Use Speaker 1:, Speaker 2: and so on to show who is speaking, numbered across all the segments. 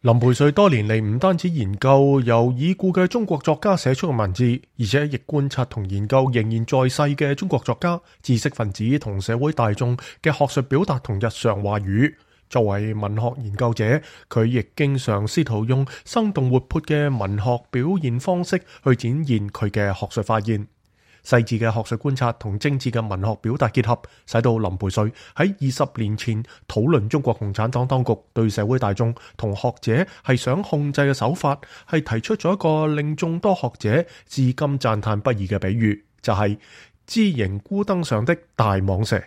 Speaker 1: 林培瑞多年嚟唔單止研究由已故嘅中國作家寫出嘅文字，而且亦觀察同研究仍然在世嘅中國作家、知識分子同社會大眾嘅學術表達同日常話語。作為文學研究者，佢亦經常試圖用生動活潑嘅文學表現方式去展現佢嘅學術發現。細緻嘅學術觀察同精緻嘅文學表達結合，使到林培瑞喺20年前討論中國共產黨當局對社會大眾同學者係想控制嘅手法，係提出咗一個令眾多學者至今讚嘆不已嘅比喻，就係枝形孤燈上的大蟒蛇。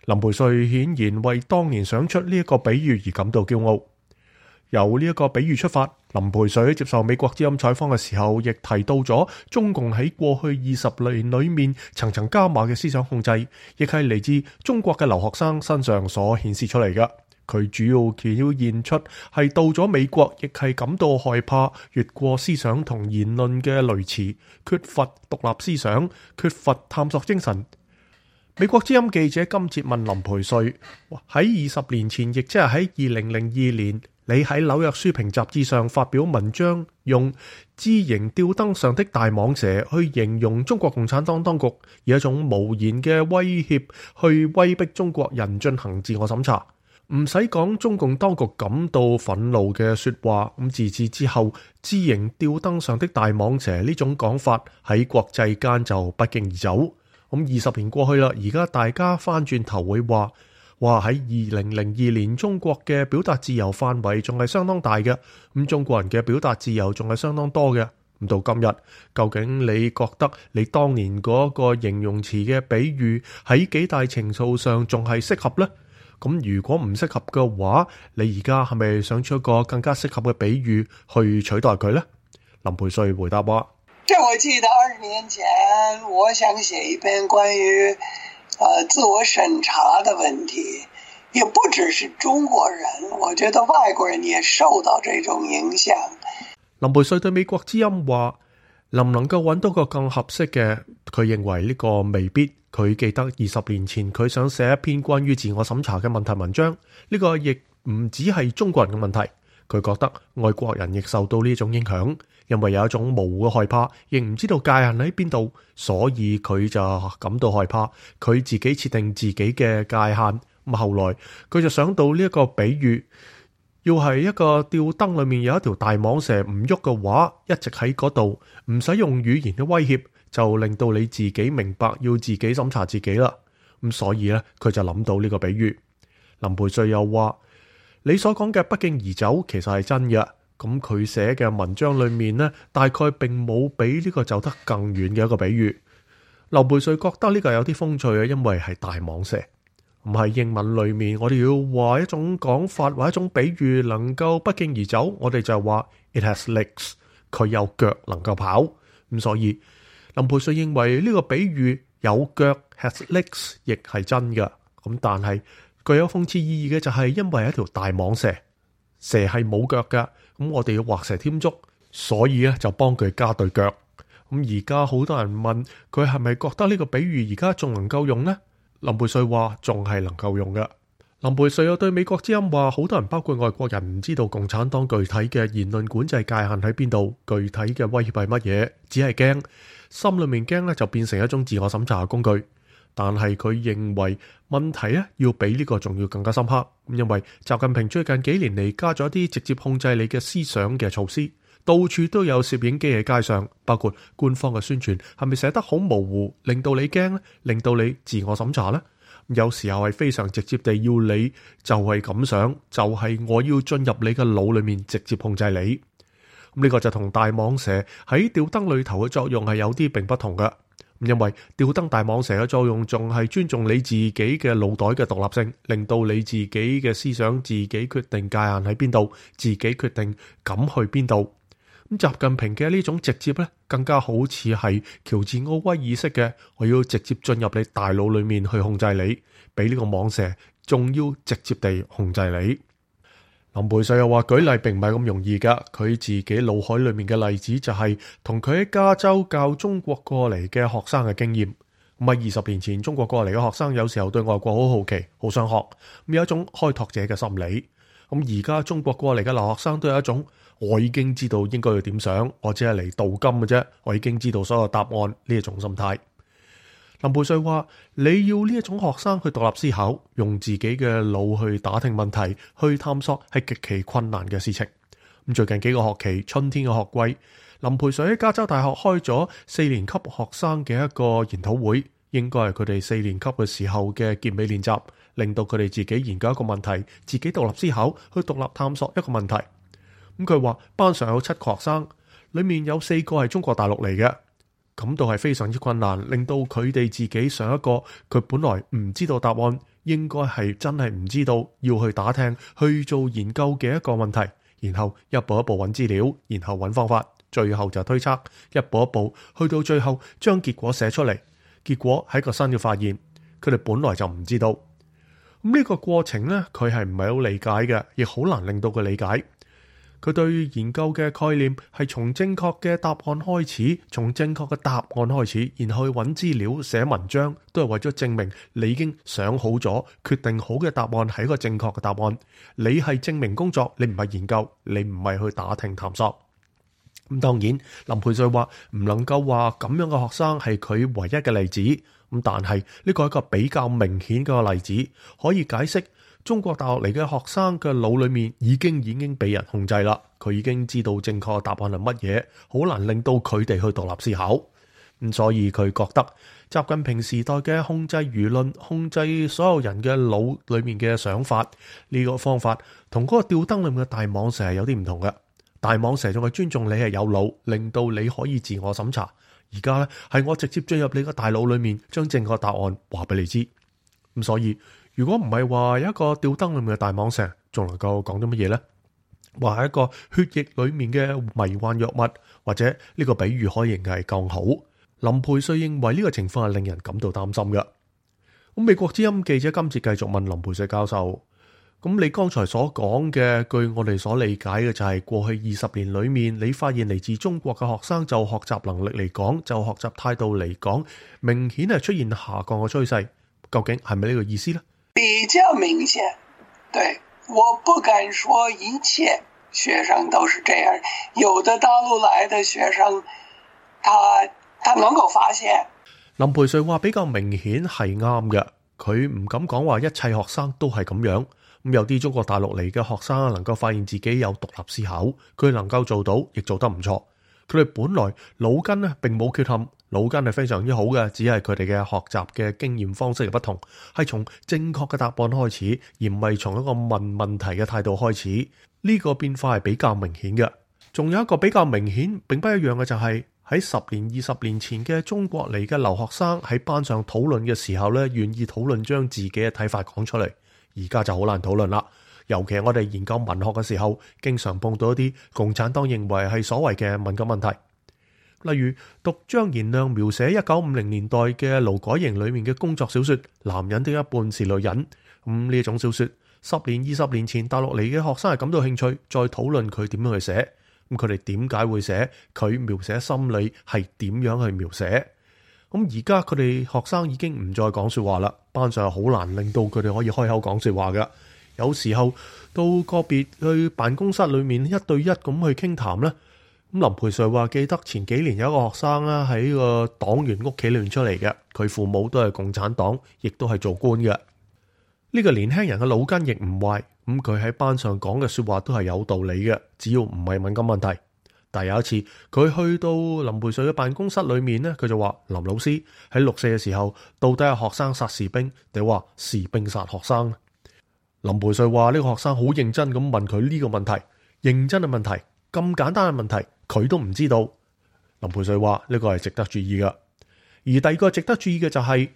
Speaker 1: 林培瑞顯然為當年想出呢一個比喻而感到驕傲。由呢一個比喻出發，林培瑞接受美國之音採訪嘅時候，亦提到咗中共喺過去20年裏面層層加碼嘅思想控制，亦係嚟自中國嘅留學生身上所顯示出嚟嘅。佢主要表現出係到咗美國，亦係感到害怕越過思想同言論嘅雷池，缺乏獨立思想，缺乏探索精神。美國之音記者今節問林培瑞喺20年前，亦即係喺2002年，你喺紐約書評雜誌上發表文章，用枝形吊燈上的大蟒蛇去形容中國共產黨當局，以一種無言嘅威脅去威逼中國人進行自我審查。唔使講中共當局感到憤怒嘅說話，咁自此之後，枝形吊燈上的大蟒蛇呢種講法喺國際間就不脛而走。咁20年過去啦，而家大家翻轉頭會話喺2002年中國嘅表達自由範圍仲係相當大嘅，咁中國人嘅表達自由仲係相當多嘅。咁到今日，究竟你覺得你當年嗰個形容詞嘅比喻喺幾大程度上仲係適合呢？咁如果唔適合嘅話，你而家係咪想出一個更加適合嘅比喻去取代佢呢？林培瑞回答話：
Speaker 2: 我記得20年前我想寫一篇關於自我審查的問題，也不只是中國人，我覺得外國人也受到這種影響。
Speaker 1: 林培瑞對美國之音話，能唔能夠揾到個更合適嘅？佢認為呢個未必。佢記得20年前佢想寫一篇關於自我審查嘅問題文章，呢個亦唔只係中國人嘅問題。佢覺得外國人亦受到呢種影響，因為有一種模糊嘅害怕，亦唔知道界限喺邊度，所以佢就感到害怕。佢自己設定自己嘅界限。咁後來佢就想到呢一個比喻，要係一個吊燈裏面有一條大蟒蛇唔喐嘅話，一直喺嗰度，唔使用語言嘅威脅，就令到你自己明白要自己審查自己啦。咁所以咧，佢就諗到呢個比喻。林培瑞又話：你所講嘅不脛而走其實係真嘅。咁佢寫嘅文章裏面呢，大概並冇比呢個走得更遠嘅一個比喻。林培瑞覺得呢個有啲風趣嘅，因為係大蟒蛇。唔係英文裏面，我哋要話一種講法或一種比喻能夠不脛而走，我哋就話 it has legs， 佢有腳能夠跑。咁所以林培瑞認為呢個比喻有腳 has legs 亦係真嘅。咁但係具有諷刺意義嘅就係因為係一條大蟒蛇，蛇係冇腳㗎，咁我哋要畫蛇添足，所以咧就幫佢加對腳。咁而家好多人問佢係咪覺得呢個比喻而家仲能夠用呢？林培瑞話仲係能夠用嘅。林培瑞又對美國之音話，好多人包括外國人唔知道共產黨具體嘅言論管制界限喺邊度，具體嘅威脅係乜嘢，只係驚，心裏面驚咧就變成一種自我審查嘅工具。但係佢認為問題咧要比呢個仲要更加深刻，因為習近平最近幾年嚟加咗一啲直接控制你嘅思想嘅措施，到處都有攝影機喺街上，包括官方嘅宣傳係咪寫得好模糊，令到你驚咧，令到你自我審查呢？有時候係非常直接地要你就係咁想，就係我要進入你嘅腦裏面直接控制你。呢個就同大蟒蛇喺吊燈裏頭嘅作用係有啲並不同嘅。因為吊燈大蟒蛇嘅作用仲係尊重你自己嘅腦袋嘅獨立性，令到你自己嘅思想自己決定界限喺邊度，自己決定敢去邊度。咁習近平嘅呢種直接咧，更加好似係喬治奧威爾式嘅，我要直接進入你大腦裏面去控制你，比呢個蟒蛇仲要直接地控制你。林培瑞又話舉例並唔係咁容易噶，佢自己腦海裏面嘅例子就係同佢喺加州教中國過嚟嘅學生嘅經驗。咁喺20年前中國過嚟嘅學生有時候對外國好好奇，好想學，咁有一種開拓者嘅心理。咁而家中國過嚟嘅留學生都有一種，我已經知道應該要點想，我只係嚟鍍金嘅啫，我已經知道所有答案呢一種心態。林培瑞話：你要呢一種學生去獨立思考，用自己嘅腦去打聽問題，去探索係極其困難嘅事情。咁最近幾個學期春天嘅學季，林培瑞喺加州大學開咗4年級學生嘅一個研討會，應該係佢哋4年級嘅時候嘅結尾練習，令到佢哋自己研究一個問題，自己獨立思考，去獨立探索一個問題。咁佢話班上有7個學生，裏面有4個係中國大陸嚟嘅。感到係非常之困難，令到佢哋自己上一個佢本來唔知道答案，應該係真係唔知道，要去打聽去做研究嘅一個問題，然後一步一步揾資料，然後揾方法，最後就推測，一步一步去到最後將結果寫出嚟。結果係一個新嘅發現，佢哋本來就唔知道。咁呢個過程呢，佢係唔係好理解嘅，亦好難令到佢理解。佢對研究嘅概念係從正確嘅答案開始，從正確嘅答案開始，然後去揾資料寫文章，都係為咗證明你已經想好咗、決定好嘅答案係一個正確嘅答案。你係證明工作，你唔係研究，你唔係去打聽探索。咁當然，林培瑞話唔能夠話咁樣嘅學生係佢唯一嘅例子。咁但係呢個係一個比較明顯嘅例子，可以解釋中國大學嚟嘅學生嘅腦裏面已經被人控制啦。佢已經知道正確嘅答案係乜嘢，好難令到佢哋去獨立思考。咁所以佢覺得習近平時代嘅控制輿論、控制所有人嘅腦裏面嘅想法呢個方法，同嗰個吊燈裏面嘅大蟒蛇係有啲唔同嘅。大蟒蛇仲係尊重你係有腦，令到你可以自我審查。而家呢，係我直接進入你個大腦裏面，將正確答案話俾你知。咁所以如果唔係話有一個吊燈裏面嘅大蟒蛇，仲能夠講啲乜嘢呢？話係一個血液裏面嘅迷幻藥物，或者呢個比喻可以係更好。林培瑞認為呢個情況係令人感到擔心嘅。咁美國之音記者今次繼續問林培瑞教授：咁你剛才所講嘅，據我哋所理解嘅就係過去20年裏面，你發現嚟自中國嘅學生就學習能力嚟講，就學習態度嚟講，明顯係出現下降嘅趨勢。究竟係咪呢個意思呢？
Speaker 2: 比較明顯，對，我不敢說一切學生都是這樣，有的大陸來的學生，他能夠發現。
Speaker 1: 林培瑞話比較明顯係啱嘅，佢唔敢講話一切學生都係咁樣。咁有啲中國大陸嚟嘅學生能夠發現自己有獨立思考，佢能夠做到，亦做得唔錯。佢哋本來腦筋呢並冇缺陷，腦筋係非常之好嘅，只係佢哋嘅學習嘅經驗方式嘅不同，係從正確嘅答案開始，而唔係從一個問問題嘅態度開始。呢個變化係比較明顯嘅。仲有一個比較明顯並不一樣嘅就係喺10年、20年前嘅中國嚟嘅留學生喺班上討論嘅時候呢，願意討論將自己嘅睇法講出嚟。而家就好難討論啦。尤其係我哋研究文學嘅時候，經常碰到一啲共產黨認為係所謂嘅敏感問題，例如讀張賢亮描寫1950年代嘅勞改營裏面嘅工作小說《男人的一半是女人》。呢種小說10年、20年前大陸嚟嘅學生係感到興趣，再討論佢點樣去寫。佢哋點解會寫？佢描寫心理係點樣去描寫？而家佢哋學生已經唔再講說話啦，班上好難令到佢哋可以開口講說話㗎。有時候到個別去辦公室裏面1對1咁去傾談咧。林培瑞話記得前幾年有一個學生啦，喺個黨員屋企裏面出嚟嘅，佢父母都係共產黨，亦都係做官嘅。呢個年輕人嘅腦筋亦唔壞，佢喺班上講嘅說話都係有道理嘅，只要唔係敏感問題。但有一次佢去到林培瑞嘅辦公室裏面呢，佢就話：林老師，喺6四嘅時候，到底係學生殺士兵定話士兵殺學生？林培瑞話呢個學生好認真咁問佢呢個問題，認真嘅問題，咁簡單嘅問題佢都唔知道。林培瑞話呢個係值得注意㗎。而第二個值得注意嘅就係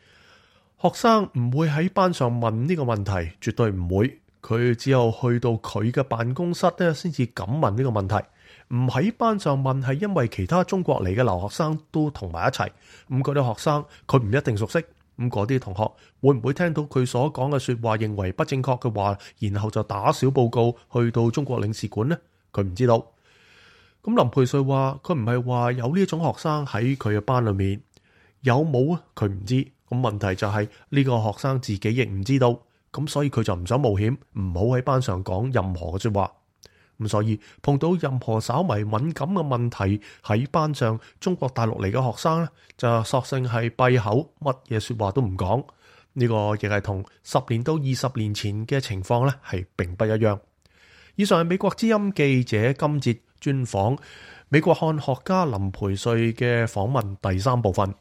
Speaker 1: 學生唔會喺班上問呢個問題，絕對唔會。佢只有去到佢嘅辦公室咧，先至敢問呢個問題。唔喺班上問係因為其他中國嚟嘅留學生都同埋一齊，嗰啲學生佢唔一定熟悉，嗰啲同學會唔會聽到佢所講嘅說話認為不正確嘅話，然後就打小報告去到中國領事館呢？佢唔知道。林培瑞話佢唔係話有呢種學生喺佢嘅班裏面，有冇啊？佢唔知。問題就係呢個學生自己亦唔知道，咁所以佢就唔想冒險，唔好喺班上講任何嘅說話。咁所以碰到任何稍微敏感嘅問題喺班上，中國大陸嚟嘅學生呢，就索性係閉口，乜嘢說話都唔講。呢個亦係同10年到20年前嘅情況呢係並不一樣。以上係美國之音記者今節專訪美國漢學家林培瑞嘅訪問第3部分。